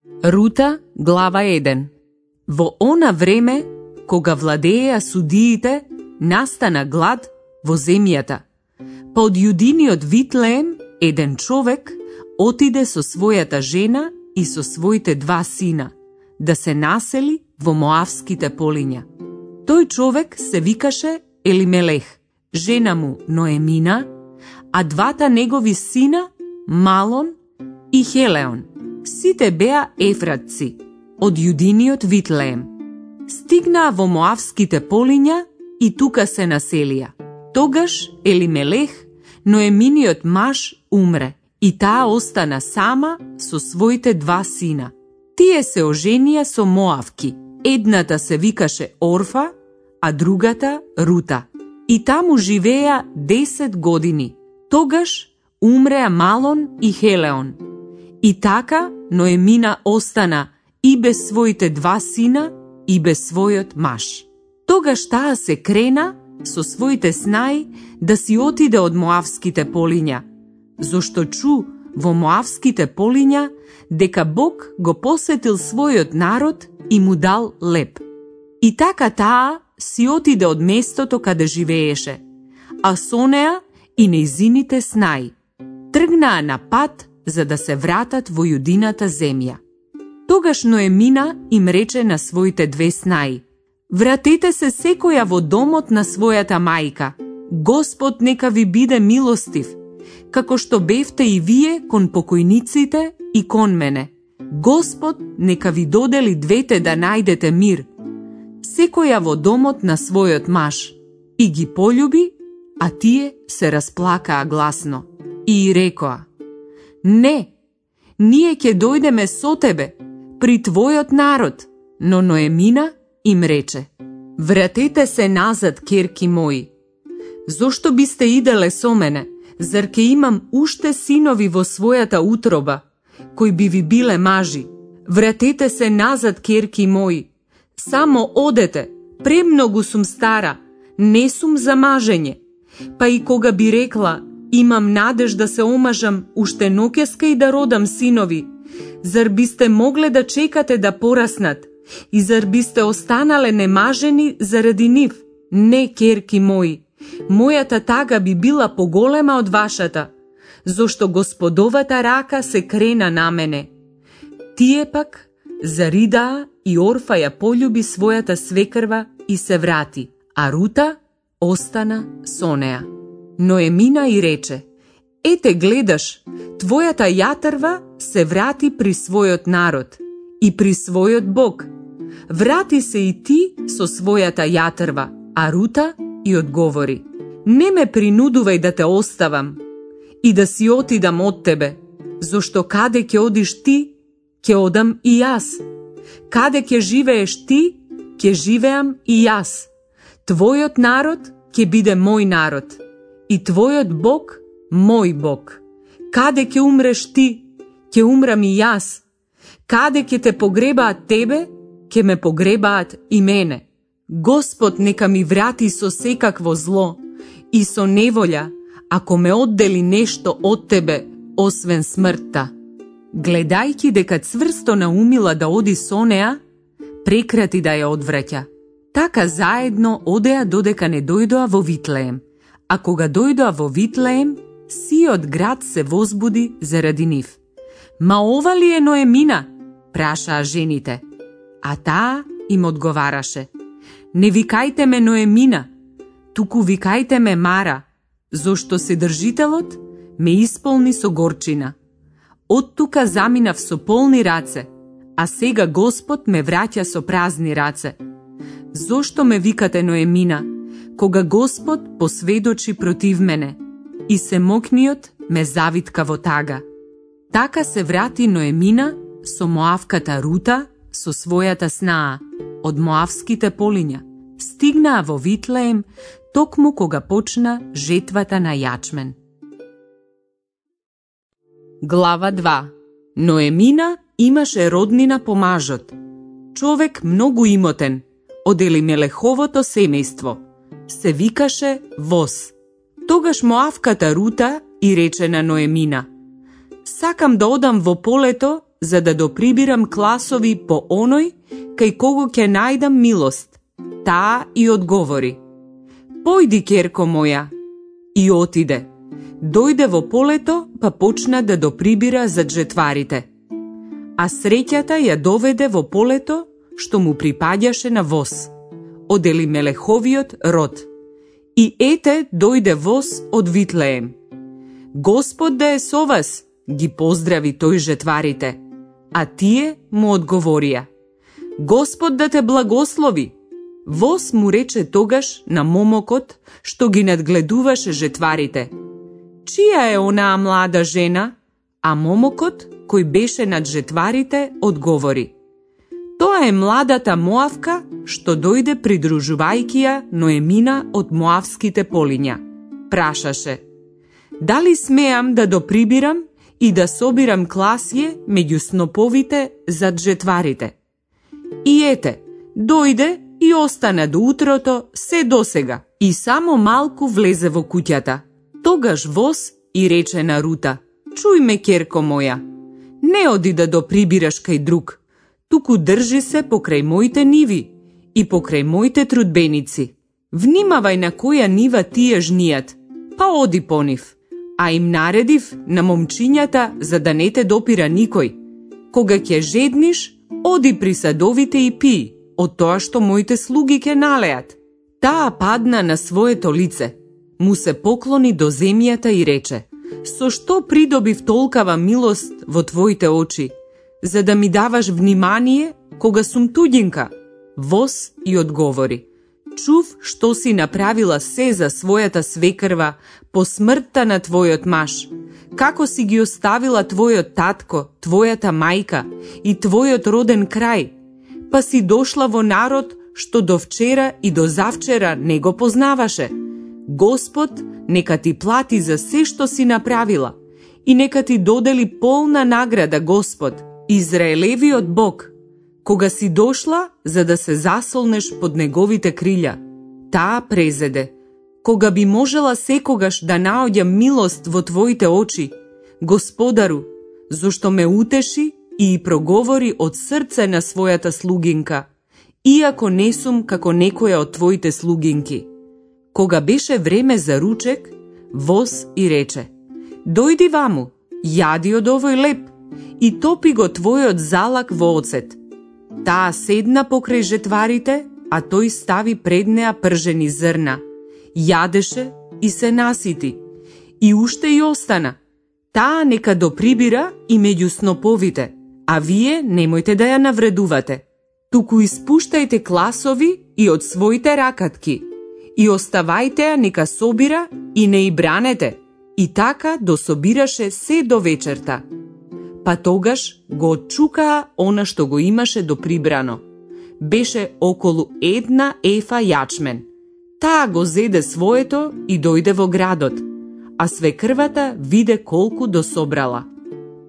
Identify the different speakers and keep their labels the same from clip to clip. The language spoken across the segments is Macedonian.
Speaker 1: Рута, глава 1. Во она време, кога владееа судиите, настана глад во земјата. Па од јудиниот Витлеем, еден човек отиде со својата жена и со своите 2 сина, да се насели во Моавските полиња. Тој човек се викаше Елимелех, жена му Ноемина, а 2 негови сина, Малон и Хелеон. Сите беа ефратци, од јудиниот Витлеем. Стигнаа во Моавските полиња и тука се населија. Тогаш Елимелех, Ноеминиот маж, умре и таа остана сама со своите 2 сина. Тие се оженија со Моавки. Едната се викаше Орфа, а другата Рута. И таму живеа 10 години. Тогаш умреа Малон и Хелеон. И така Ноемина остана и без своите 2 сина и без својот маж. Тогаш таа се крена со своите снаи да си отиде од Моавските полиња, зашто чу во Моавските полиња дека Бог го посетил својот народ и му дал леп. И така таа си отиде од местото каде живееше, а со неа и нејзините снаи. Тргнаа на пат за да се вратат во јудината земја. Тогаш Ноемина им рече на своите 2 снаи: вратете се секоја во домот на својата мајка. Господ нека ви биде милостив, како што бевте и вие кон покојниците и кон мене. Господ нека ви додели двете да најдете мир. Секоја во домот на својот маж. И ги полюби, а тие се расплакаа гласно. И рекоа: не, ние ќе дојдеме со тебе, при твојот народ. Но Ноемина им рече: вратете се назад, керки мои. Зошто бисте иделе со мене? Зар ке имам уште синови во својата утроба, кои би ви биле мажи? Вратете се назад, керки мои. Само одете, премногу сум стара, не сум за мажење. Па и кога би рекла: имам надеж да се омажам, уште ноќеска и да родам синови, зар бисте могле да чекате да пораснат? И зар бисте останале немажени заради нив? Не, керки мои, мојата тага би била поголема од вашата, зашто Господовата рака се крена на мене. Тие пак заридаа и Орфа ја полюби својата свекрва и се врати, а Рута остана со неа. Ноемина и рече: ете гледаш, твојата јатрва се врати при својот народ и при својот Бог. Врати се и ти со својата јатрва. А Рута и одговори: не ме принудувај да те оставам и да си отидам од тебе, зашто каде ќе одиш ти, ќе одам и јас. Каде ќе живееш ти, ќе живеам и јас. Твојот народ ќе биде мој народ и твојот Бог мој Бог. Каде ќе умреш ти, ќе умрам и јас. Каде ќе те погребаат тебе, ќе ме погребаат и мене. Господ нека ми врати со секакво зло и со неволја, ако ме оддели нешто од тебе, освен смртта. Гледајќи дека цврсто наумила да оди со неа, прекрати да ја одвраќа. Така заедно одеа додека не дојдоа во Витлеем. А кога дојдоа во Витлеем, сиот град се возбуди заради нив. Ма ова ли е Ноемина? Прашаа жените. А таа им одговараше: не викајте ме Ноемина, туку викајте ме Мара, зашто Содржителот ме исполни со горчина. Од тука заминав со полни раце, а сега Господ ме враќа со празни раце. Зошто ме викате Ноемина, кога Господ посведочи против мене и семокниот ме завитка во тага? Така се врати Ноемина со Моавката Рута со својата снаа од Моавските полиња. Стигнаа во Витлеем токму кога почна жетвата на јачмен. Глава 2. Ноемина имаше роднина по мажот, човек многу имотен, од Елимелеховото семејство. Се викаше Воз. Тогаш Моавката Рута и рече на Ноемина: сакам да одам во полето за да доприбирам класови по оној кај кого ќе најдам милост. Таа и одговори: Појди, ќерко моја. И отиде. Дојде во полето, па почна да доприбира зад жетварите. А среќата ја доведе во полето, што му припаѓаше на воз, од Елимелеховиот род. И ете, дојде воз од Витлеем. Господ да е со вас, ги поздрави тој жетварите, а тие му одговорија: Господ да те благослови. Воз му рече тогаш на момокот што ги надгледуваше жетварите: Чија е онаа млада жена? А момокот, кој беше над жетварите, одговори: Тоа е младата Моавка што дојде придружувајќи ја Ноемина од Моавските полиња. Прашаше: Дали смеам да доприбирам и да собирам класје меѓу сноповите зад жетварите? И ете, дојде и остана до утрото се досега и само малку влезе во куќата. Тогаш воз и рече на Рута: Чуј ме, ќерко моја, не оди да доприбираш кај друг, туку држи се покрај моите ниви и покрај моите трудбеници. Внимавај на која нива тие жнијат, па оди по нив. А им наредив на момчињата за да не те допира никој. Кога ќе жедниш, оди при садовите и пии од тоа што моите слуги ќе налеат. Таа падна на своето лице, му се поклони до земјата и рече: Со што придобив толкава милост во твоите очи, за да ми даваш внимание кога сум туѓинка? Воз и одговори: Чув што си направила се за својата свекрва по смртта на твојот маж, како си ги оставила твојот татко, твојата мајка и твојот роден крај, па си дошла во народ што до вчера и до завчера не го познаваше. Господ нека ти плати за се што си направила и нека ти додели полна награда, Господ, Израелевиот Бог, кога си дошла за да се засолнеш под неговите крилја. Таа презеде: Кога би можела секогаш да наоѓам милост во твоите очи, Господару, зошто ме утеши и проговори од срце на својата слугинка, иако не сум како некоја од твоите слугинки. Кога беше време за ручек, воз и рече: Дојди ваму, јади од овој леп и топи го твојот залак во оцет. Таа седна покрај жетварите, а тој стави пред неа пржени зрна. Јадеше и се насити. И уште и остана. Таа нека доприбира и меѓу сноповите, а вие немојте да ја навредувате. Туку испуштајте класови и од своите ракатки и оставајте ја нека собира и не и бранете. И така дособираше се до вечерта. Па тогаш го отчукаа она што го имаше доприбрано. Беше околу 1 ефа јачмен. Таа го зеде своето и дојде во градот, а свекрвата виде колку дособрала.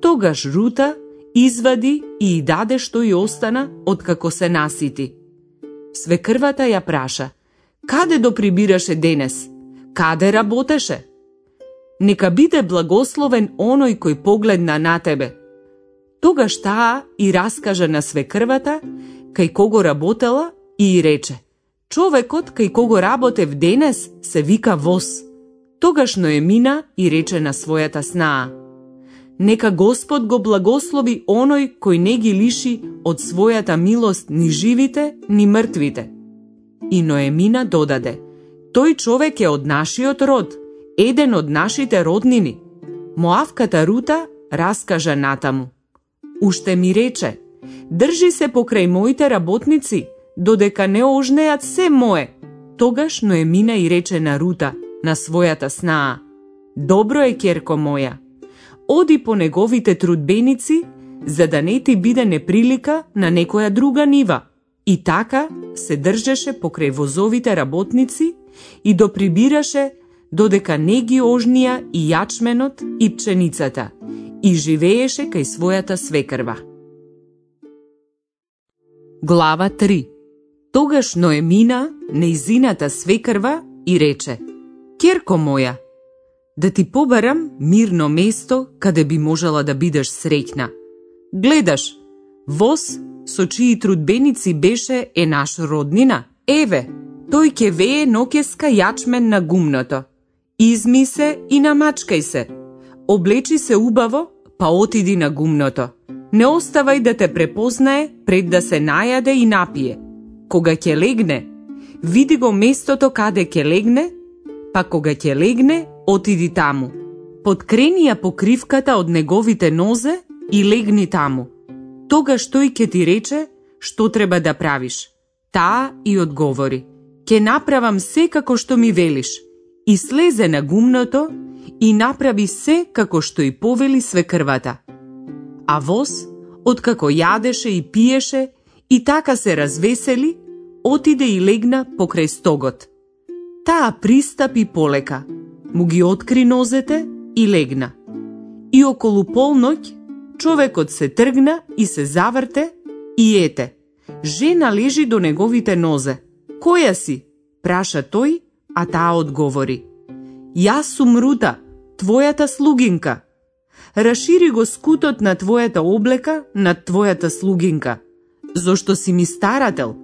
Speaker 1: Тогаш Рута извади и даде што и остана откако се насити. Свекрвата ја праша: Каде доприбираше денес? Каде работеше? Нека биде благословен оној кој погледна на тебе. Тогаш таа и раскажа на свекрвата кај кого работела и рече: Човекот кај кого работев денес се вика Воз. Тогаш Ноемина и рече на својата снаа: Нека Господ го благослови оној кој не ги лиши од својата милост ни живите, ни мртвите. И Ноемина додаде: Тој човек е од нашиот род, еден од нашите роднини. Моавката Рута раскажа натаму: Уште ми рече: Држи се покрај моите работници, додека не ожнеат се мое. Тогаш Ноемина и рече на Рута, на својата снаа: Добро е, ќерко моја, оди по неговите трудбеници, за да не ти биде неприлика на некоја друга нива. И така се држеше покрај возовите работници и доприбираше додека не ги ожнија и јачменот и пченицата, и живееше кај својата свекрва. Глава 3. Тогаш Ноемина, нејзината свекрва, и рече: Ќерко моја, да ти побарам мирно место каде би можела да бидеш среќна. Гледаш, воз со чии трудбеници беше е наш роднина. Еве, тој ќе вее ноќеска јачмен на гумното. Изми се и намачкај се. Облечи се убаво, па отиди на гумното. Не оставај да те препознае пред да се најаде и напие. Кога ќе легне, види го местото каде ќе легне, па кога ќе легне, отиди таму. Подкрени ја покривката од неговите нозе и легни таму. Тогаш тој ќе ти рече што треба да правиш. Таа и одговори: ќе направам се како што ми велиш. И слезе на гумното и направи се како што и повели свекрвата. А воз, откако јадеше и пиеше и така се развесели, отиде и легна покрај стогот. Таа пристапи полека, му ги откри нозете и легна. И околу полноќ човекот се тргна и се заврте и ете. Жена лежи до неговите нозе. Која си? Праша тој, а таа одговори: Јас сум Рута, твојата слугинка. Рашири го скутот на твојата облека над твојата слугинка. Зошто си ми старател?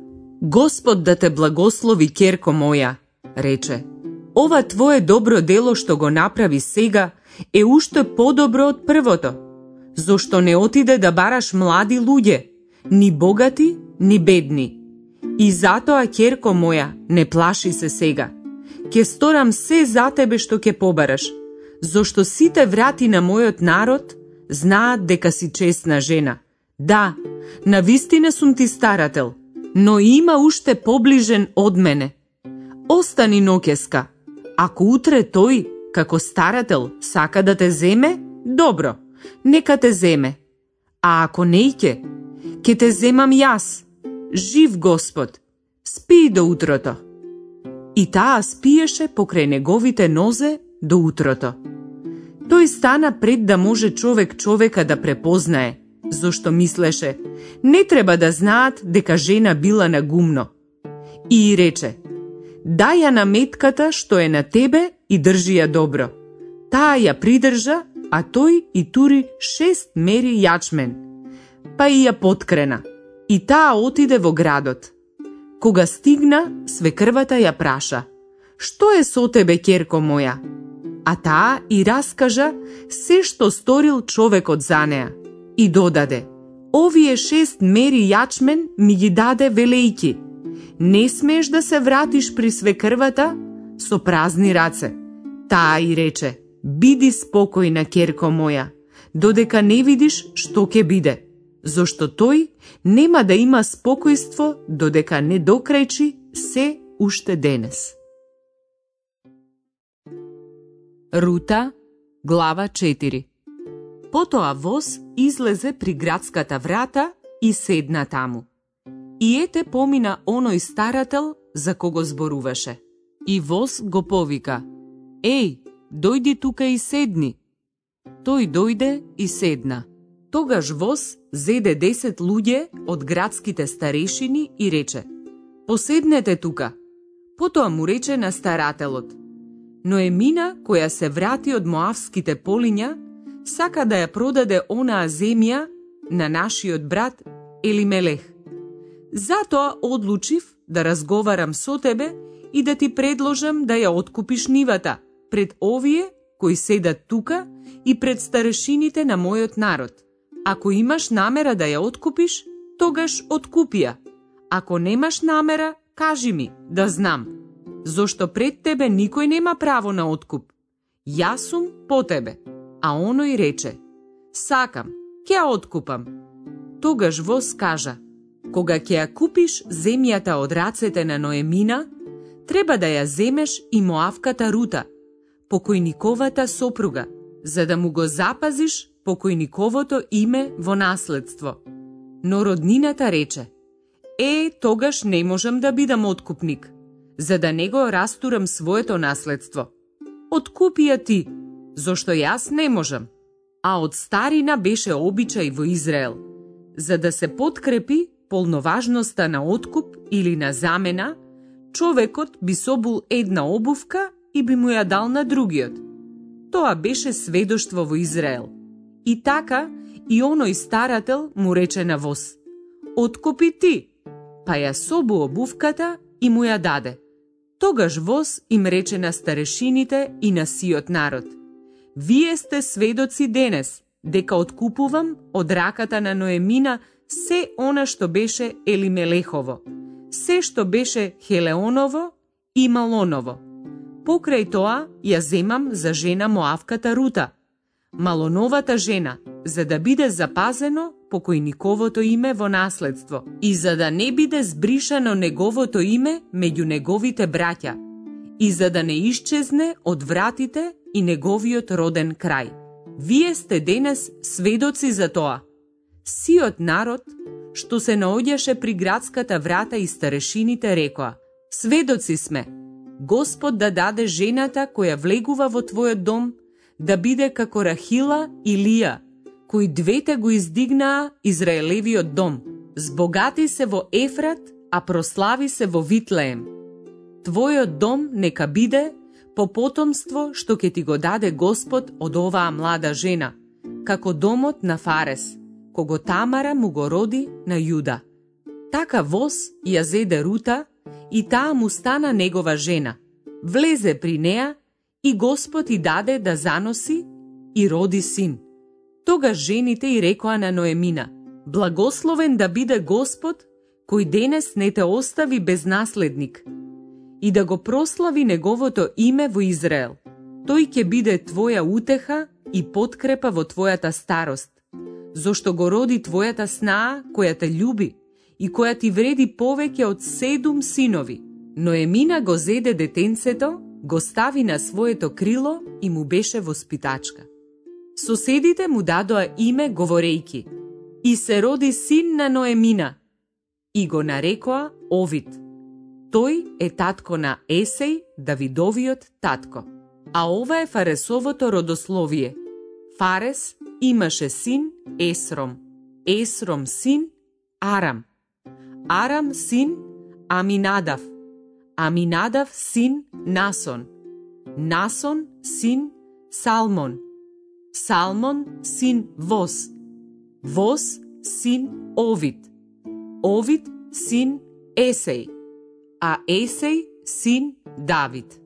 Speaker 1: Господ да те благослови, ќерко моја, рече. Ова твое добро дело што го направи сега е уште подобро од првото. Зошто не отиде да бараш млади луѓе, ни богати, ни бедни. И затоа, ќерко моја, не плаши се сега. Ке сторам се за тебе што ќе побараш, зошто сите врати на мојот народ знаат дека си честна жена. Да, навистина сум ти старател, но има уште поближен од мене. Остани ноќеска. Ако утре тој, како старател, сака да те земе, добро, нека те земе. А ако неќе, ќе те земам јас. Жив Господ, спи до утрото. И таа спиеше покрај неговите нозе до утрото. Тој стана пред да може човек човека да препознае, зошто мислеше, не треба да знаат дека жена била на гумно. И рече: дај ја на метката што е на тебе и држи ја добро. Таа ја придржа, а тој и тури 6 мери јачмен. Па и ја поткрена. И таа отиде во градот. Кога стигна, свекрвата ја праша: што е со тебе, ќерко моја? А таа и раскажа се што сторил човекот за неа. И додаде: овие 6 мери јачмен ми ги даде велејки. Не смееш да се вратиш при свекрвата со празни раце. Таа и рече: биди спокојна, ќерко моја, додека не видиш што ќе биде. Зошто тој нема да има спокојство додека не докрајчи се уште денес. Рута, глава 4. Потоа воз излезе при градската врата и седна таму. И ете помина оној старател за кого зборуваше. И воз го повика: еј, дојди тука и седни. Тој дојде и седна. Тогаш воз зеде 10 луѓе од градските старешини и рече: поседнете тука. Потоа му рече на старателот: Ноемина, која се врати од моавските полиња, сака да ја продаде онаа земја на нашиот брат Елимелех. Затоа одлучив да разговарам со тебе и да ти предложам да ја откупиш нивата пред овие кои седат тука и пред старешините на мојот народ. Ако имаш намера да ја откупиш, тогаш откупи ја. Ако немаш намера, кажи ми, да знам. Зошто пред тебе никој нема право на откуп. Јас сум по тебе. А оној рече: сакам, ќе ја откупам. Тогаш воз кажа: кога ќе ја купиш земјата од рацете на Ноемина, треба да ја земеш и Моавката Рута, покојниковата сопруга, за да му го запазиш покојниковото име во наследство. Но роднината рече: тогаш не можам да бидам откупник, за да не го растурам своето наследство. Откупи ја ти, зошто јас не можам. А од старина беше обичај во Израел, за да се подкрепи полноважноста на откуп или на замена, човекот би собул една обувка и би му ја дал на другиот. Тоа беше сведоштво во Израел. И така, И оној старател му рече на воз: откупи ти, па ја собу обувката и му ја даде. Тогаш воз им рече на старешините и на сиот народ: вие сте сведоци денес дека откупувам од раката на Ноемина се она што беше Елимелехово, се што беше Хелеоново и Малоново. Покрај тоа ја земам за жена Моавката Рута, Малоновата жена, за да биде запазено покојниковото име во наследство и за да не биде збришано неговото име меѓу неговите браќа и за да не исчезне од вратите и неговиот роден крај. Вие сте денес сведоци за тоа. Сиот народ, што се наоѓаше при градската врата и старешините рекоа: сведоци сме, Господ да даде жената која влегува во твојот дом да биде како Рахила и Лија, кои двете го издигнаа Израелевиот дом. Збогати се во Ефрат, а прослави се во Витлеем. Твојот дом нека биде по потомство што ќе ти го даде Господ од оваа млада жена, како домот на Фарес, кого Тамара му го роди на Јуда. Така воз ја зеде Рута и таа му стана негова жена. Влезе при неа и Господ и даде да заноси и роди син. Тогаш жените и рекоа на Ноемина: благословен да биде Господ, кој денес не те остави без наследник, и да го прослави неговото име во Израел. Тој ќе биде твоја утеха и подкрепа во твојата старост, зошто го роди твојата снаа која те љуби и која ти вреди повеќе од 7 синови. Ноемина го зеде детенцето, го стави на своето крило и му беше воспитачка. Соседите му дадоа име говорејки: и се роди син на Ноемина, и го нарекоа Овид. Тој е татко на Есеј, Давидовиот татко. А ова е Фаресовото родословие. Фарес имаше син Есром, Есром син Арам, Арам син Аминадав, Аминадав син Насон, Насон син Салмон, Салмон син Воз, Воз син Овид, Овид син Есеј, а Есеј син Давид.